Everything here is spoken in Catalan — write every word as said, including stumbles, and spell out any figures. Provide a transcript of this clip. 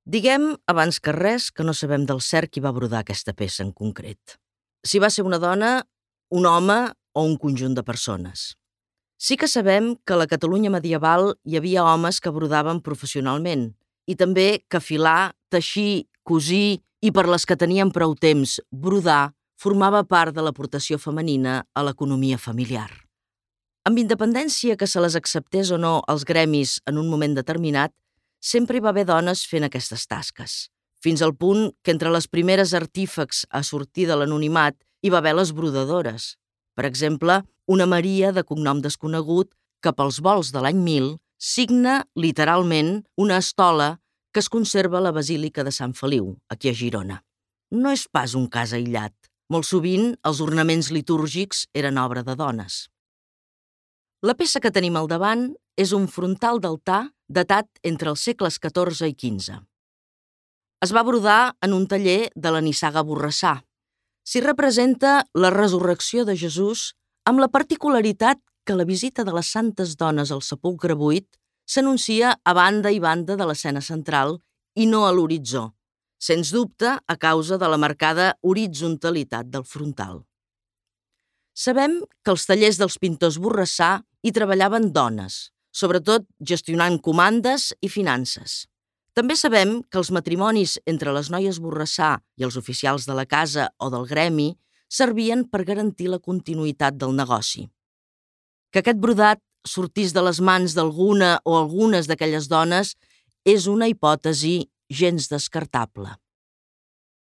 Diguem, abans que res, que no sabem del cert qui va brodar aquesta peça en concret. Si va ser una dona, un home o un conjunt de persones. Sí que sabem que a la Catalunya medieval hi havia homes que brodaven professionalment i també que filar, teixir, cosir i per les que tenien prou temps, brodar, formava part de l'aportació femenina a l'economia familiar. Amb independència que se les acceptés o no els gremis en un moment determinat, sempre hi va haver dones fent aquestes tasques, fins al punt que entre les primeres artífex a sortir de l'anonimat hi va haver les brodadores. Per exemple, una Maria de cognom desconegut que pels volts de l'any mil signa, literalment, una estola que es conserva a la Basílica de Sant Feliu, aquí a Girona. No és pas un cas aïllat. Molt sovint, els ornaments litúrgics eren obra de dones. La peça que tenim al davant és un frontal d'altar datat entre els segles catorze i quinze. Es va brodar en un taller de la nissaga Borrassà. S'hi representa la resurrecció de Jesús amb la particularitat que la visita de les santes dones al sepulcre buit s'anuncia a banda i banda de l'escena central i no a l'horitzó, sens dubte a causa de la marcada horitzontalitat del frontal. Sabem que als tallers dels pintors Borrassà hi treballaven dones, sobretot gestionant comandes i finances. També sabem que els matrimonis entre les noies Borrassà i els oficials de la casa o del gremi servien per garantir la continuïtat del negoci. Que aquest brodat sortís de les mans d'alguna o algunes d'aquelles dones és una hipòtesi gens descartable.